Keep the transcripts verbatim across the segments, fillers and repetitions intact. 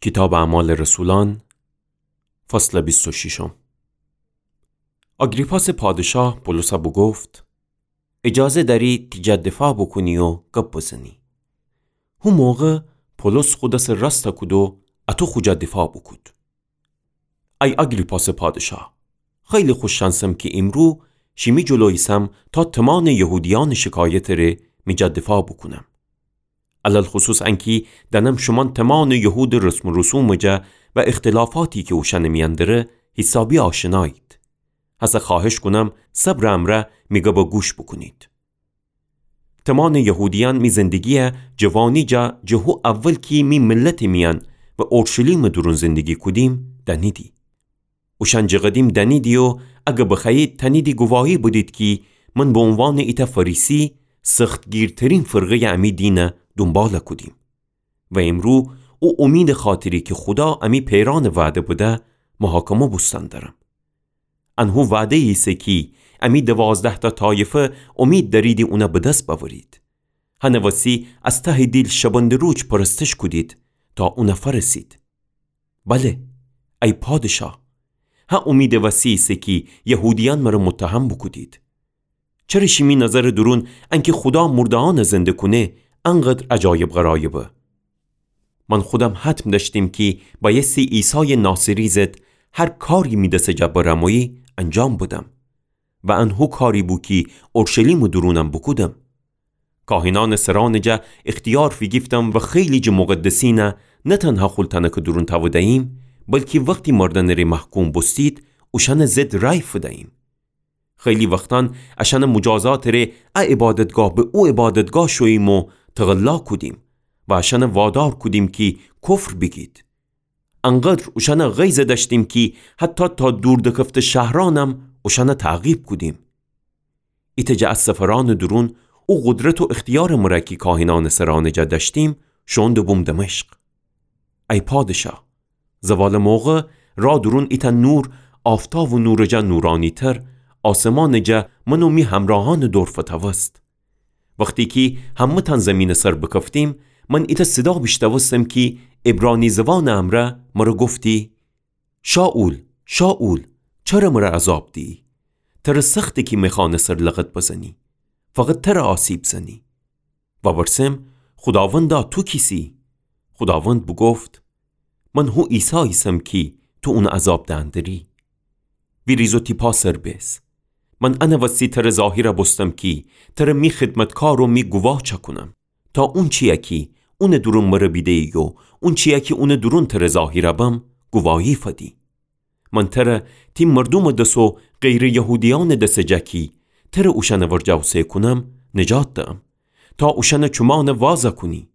کیتابٚ اعمالٚ رسولأن، فصلٚ بیست و ششم. آگریپاسٚ پادشاه پولسَ بوگفت: ایجازه دأری تی جا دفاع بوکونی و گب بزنی. هو موقع پولس خو دسٚ راستَ کود و اَتو خو جا دفاع بوکود. ای آگریپاسٚ پادشاه، خیلی خوش‌شأنسم کی ایمرو شیمی جلو ایسم تا تومانٚ یهودیأنٚ شکایتٚ ره می جا دفاع بوکونم. علی‌الخصوص انکی دأنم شومأن تومانٚ یهودٚ رسم و رسومٚ جا و اختلافاتی کی اوشأنٚ میأن دره حیسابی آشنایید. هسه خوأهش کونم صبرٚ امرأ می گبَ گوش بوکونید. تومانٚ یهودیأن می زندگیَ جوانی جا جٚه هو اول کی می ملتٚ میأن و اورشلیمٚ دورون زندگی کودیم دأنیدی. اوشأن جٚه قدیم دأنیدی و اگر بخوأیید تأنیدی گواهی بدید کی من به عنوانٚ ایتأ فریسی سختگیرترین فرقه‌یٚ امی دینَ دونبال کودیم و ایمرو او امیدٚ خاطری کی خودا امی پئرأنَ وعده بده محاکمه بوستن درم. ان هو وعده‌یی ایسه کی امی دوازده‌تأ طایفه امید دأریدی اونَ به دس بأورید. هنٚ وسی از تهٚ دیل شبنده‌روج پرستش کودید تا اونَ فأرسید. بله، ای پادشاه، هه امیدٚ وسی ایسه کی یهودیأن مره متهم بوکودید. چره شیمی نظرٚ دورون انکی خودا مرده‌یأنَ زنده کونه انقدر عجایب غرایبه؟ من خودم حتم دأشتیم کی بأیستی عیسایٚ ناصری ضد هر کاری می دسٚ جا برمویی انجام بدم و ان هو کاری بو کی اورشلیمٚ دورونم بوکودم. کاهنأنٚ سرأنٚ جا اختیار فیگیفتم و خیلی جٚه مقدسینَ نه تنها خول تنکٚ دورون تأوده‌ییم، بلکی وختی مردنٚ ره محکوم بوستید اوشأنٚ ضد رأی فده‌ییم. خیلی وختأن اشأنٚ مجازاتٚ ره ا عبادتگاه به او عبادتگاه شوییم و تقلا کودیم و اشأنَ وادار کودیم کی کفر بیگید. انقدر اوشأنَ غیظ دأشتیم کی حتی تا دور دکفته شهرأنم اوشأنَ تعقیب کودیم. ایتأ جٚه ا سفرأنٚ دورون او قدرت و اختیارٚ مره کی کاهنأنٚ سرأنٚ جا دأشتیم شوئون دبوم دمشق. ای پادشاه، زوالٚ موقع رأ دورون ایتأ نور آفتابٚ نورٚ جا نورانی‌تر آسمانٚ جا من و می همرأهأنٚ دور فتأوست. وختی کی همه‌تأن زیمینٚ سر بکفتیم، من ایتأ صدا بیشتأوستم کی عبرانی زوانٚ امرأ مره گفتی: شائول، شائول، چره مره عذاب دیی؟ تره سخته کی می خانٚ سر لغت بزنی، فقط تره آسیب زنی. وورسم: خوداوندا، تو کیسی؟ خوداوند بوگفت: من هو عیسی ایسم کی تو اونٚ عذاب دئن دری. ویریز و تی پا سر بیس. من انٚ وسی تره ظاهیر بوستم کی تره می خدمتکار و می گواه چأکونم، تا اونچیی کی اونٚ دورون مره بیده‌یی و اونچیی کی اونٚ دورون تره ظاهیر بم، گواهی فدی. من تره تی مردومٚ دس و غیرٚ یهودیأنٚ دسٚ جا کی تره اوشأنٚ ورجه اوسه کونم، نجات دهم، تا اوشأنٚ چومأنَ واز کونی،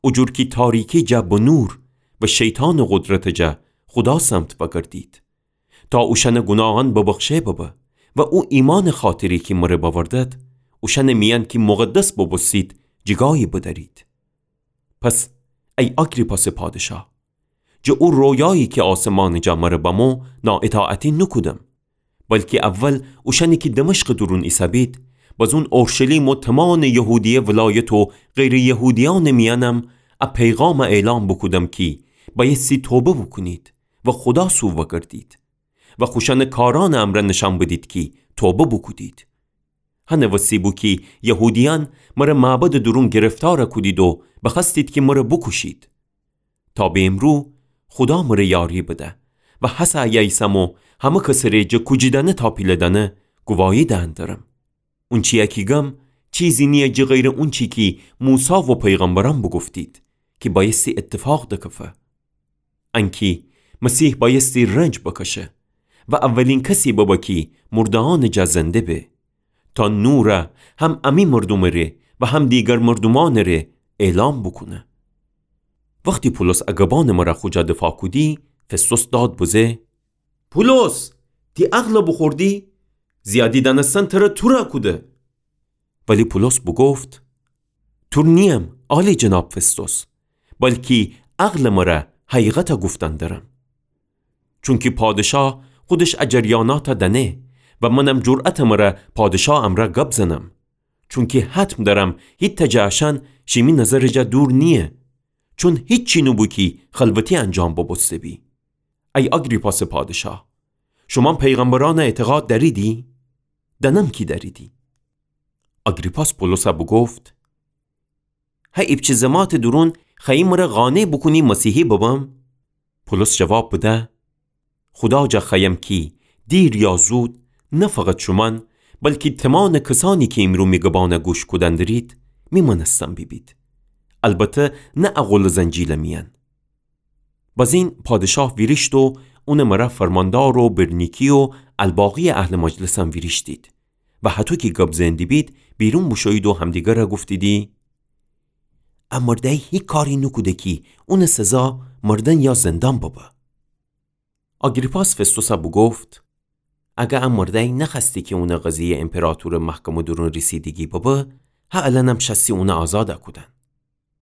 او جور کی تاریکی جا به نور و شیطانٚ قدرتٚ جا خودا سمت وأگردید، تا اوشأنٚ گوناهأن ببخشه ببه و او ایمأنٚ خاطری کی مره بأوردد، اوشأنٚ میأن کی مقدس بوبوستید، جیگایی بدأرید. پس ای آگریپاسٚ پادشاه، جٚه او رویایی کی آسمانٚ جا مره بمو نااطاعتی نوکودم، بلکی اول اوشأنی کی دمشقٚ دورون ایسه‌بید، بزون اورشلیم و تومانٚ یهودیه ولایت و غیرٚ یهودیأنٚ میأنم ا پیغام اعلام بوکودم کی بأیستی توبه بوکونید و خودا سو وأگردید و خوشأنٚ کارأنٚ امرأ نشأن بدید کی توبه بوکودید. هنٚ وسی بو کی یهودیأن مره معبدٚ دورون گرفتار کودید و بخوأستید کی مره بوکوشید. تا به امرو خودا مره یاری بده و هسه ایه ایسم و همه کسٚ ره جٚه کوجیدأنه تا پیله‌دأنه گواهی دئن درم. اونچیی کی گم چیزی نییه جٚه غیرٚ اونچی کی موسی و پیغمبرأن بوگفتید کی بأیستی اتفاق دکفه. انکی مسیح بأیستی رنج بکشه و اولین کسی ببه کی مرده‌یأنٚ جا زنده به، تا نور هم امی مردومٚ ره و هم دیگر مردومأنٚ ره اعلام بوکونه. وختی پولس ا گبأنٚ مره خو جا دفاع کودی، فستوس داد بزه: پولس، تی عقل بوخوردی؟ زیادی دأنستن تره تورا کوده. ولی پولس بوگفت: تور نییم، عالی‌جناب فستوس، بلکی عقلٚ مره حقیقت گفتن درم. چونکی پادشاه خودش ا جریانات دأنه و منم جرأتٚ مره پادشاه امرأ گب زنم. چونکی حتم درم هیتأ جٚه اشأن شیمی نظرٚ جا دور نییه. چون هیچی نوبو کی خلوتی انجام ببوسته‌بی. ای آگریپاسٚ پادشاه، شومأن پیغمبرأنَ اعتقاد دأریدی؟ دأنم کی دأریدی. آگریپاس پولوسَ بوگفت: هه ایپچه زماتٚ دورون خوأیی مرَ قانع بوکونی مسیحی ببم؟ پولوس جواب بده: خودا جا خوأیم کی دیر یا زود، نه فقط شومأن، بلکی تومانٚ کسأنی کی ایمرو می گبأنَ گوش کودن درید، می مأنستن بیبید. البته نه ا قولٚ زنجیلٚ میأن. بزین پادشاه ویریشت و اونٚ مرا فرماندار و برنیکی و الباقی‌یٚ اهلٚ مجلسم ویریشتید و هطو کی گب زئن دیبید، بیرون بوشویید و همدیگرَ گفتیدی: ا مردأی هیچ کاری نوکوده کی اونٚ سزا مردن یا زندان ببه. آگریپاس فستوسَ بوگفت: اگر ا مردأی نخوأستی کی اونٚ قضیه ایمپراطورٚ محکمه دورون ریسیدگی ببه، هه الأنم شأستی اونَ آزادَ کودن.